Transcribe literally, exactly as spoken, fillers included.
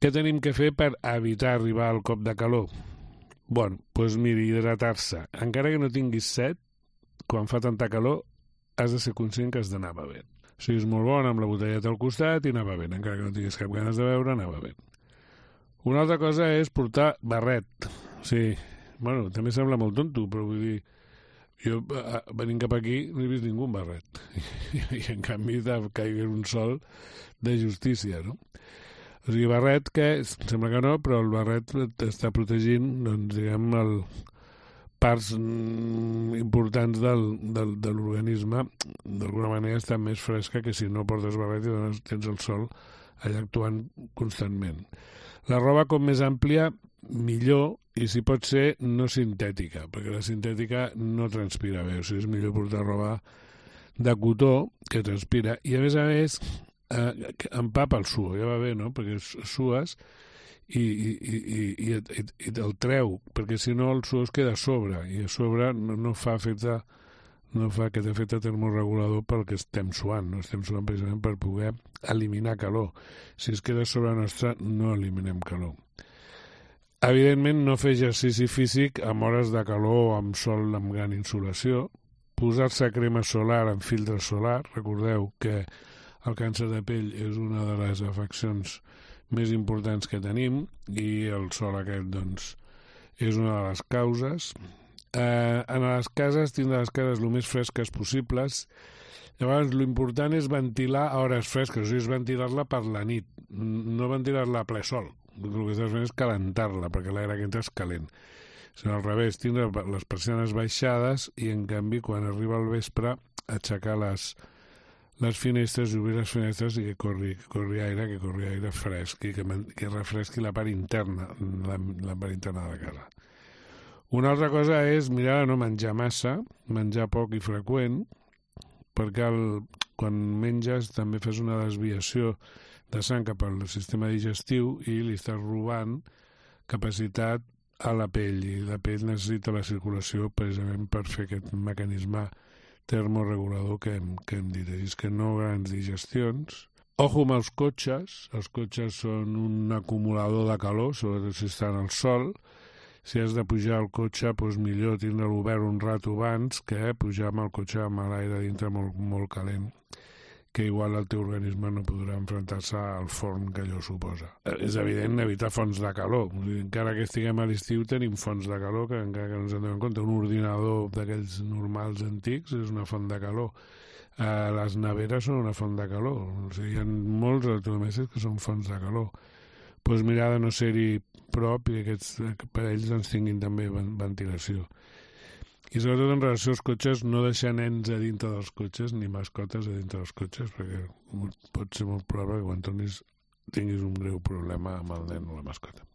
Què tenim que fer per evitar arribar al cop de calor? Bueno, doncs miri, hidratar-se. Encara que no tinguis set, quan fa tanta calor, has de ser conscient que has d'anar bevent. O sigui, és molt bon amb la botelleta al costat i anar bevent. Encara que no tinguis cap ganes de beure, anar bevent. Una altra cosa és portar barret. O sigui, bueno, també sembla molt tonto, però vull dir, jo venint cap aquí no he vist ningú amb barret. I en canvi caigui un sol de justícia, no? O sigui, barret que sembla que no, però el barret està protegint, doncs, diguem, el parts importants del, del, de l'organisme. D'alguna manera està més fresca que si no portes barret i dones, tens el sol allà actuant constantment. La roba com més àmplia, millor, i si pot ser no sintètica, perquè la sintètica no transpira bé, o sigui, és millor portar roba de cotó que transpira, i a més a més eh, empapa el suor, ja va bé, no? Perquè sues i, i, i, i, i, i el treu, perquè si no el suor es queda a sobre, i a sobre no, no fa efecte no fa aquest efecte termorregulador pel que estem suant, no estem suant precisament per poder eliminar calor. Si es queda sobre nostra, no eliminem calor. Evidentment, no fer exercici físic amb hores de calor o amb sol amb gran insolació, posar-se crema solar amb filtre solar. Recordeu que el càncer de pell és una de les afeccions més importants que tenim i el sol aquest, doncs, és una de les causes. Eh, en les cases, tindre les cases el més fresques possibles. Llavors, l'important és ventilar a hores fresques, o sigui, és ventilar-la per la nit, no ventilar-la a ple sol. El que estàs fent és calentar-la, perquè l'aire que entra és calent. Sinó al revés, tindre les persianes baixades i, en canvi, quan arriba el vespre, aixecar les, les finestres i obrir les finestres i que corri, que corri aire, que corri aire fresc i que, que refresqui la part interna, la, la part interna de la casa. Una altra cosa és mirar de no menjar massa, menjar poc i freqüent, perquè el, quan menges també fes una desviació de sang cap al sistema digestiu i li estàs robant capacitat a la pell, i la pell necessita la circulació precisament per fer aquest mecanisme termorregulador que hem, que hem dit. És que no grans digestions. Ojo amb els cotxes. Els cotxes són un acumulador de calor, sobretot si estan al sol. Si has de pujar al cotxe, doncs millor tindre-lo obert un rato abans que pujar amb el cotxe amb l'aire dintre molt, molt calent, que igual el teu organisme no podrà enfrontar-se al forn que allò suposa. És evident evitar fonts de calor. Encara que estiguem a l'estiu tenim fonts de calor que encara que no ens en donem compte. Un ordinador d'aquells normals antics és una font de calor. Eh, les neveres són una font de calor. O sigui, hi ha molts electrodomèstics que són fonts de calor. Doncs mirar de no ser-hi prop i que aquests aparells ens tinguin també ventilació. I sobretot en relació als cotxes, no deixar nens a dintre dels cotxes ni mascotes a dintre dels cotxes, perquè pot ser molt probable que quan tornis tinguis un greu problema amb el nen o la mascota.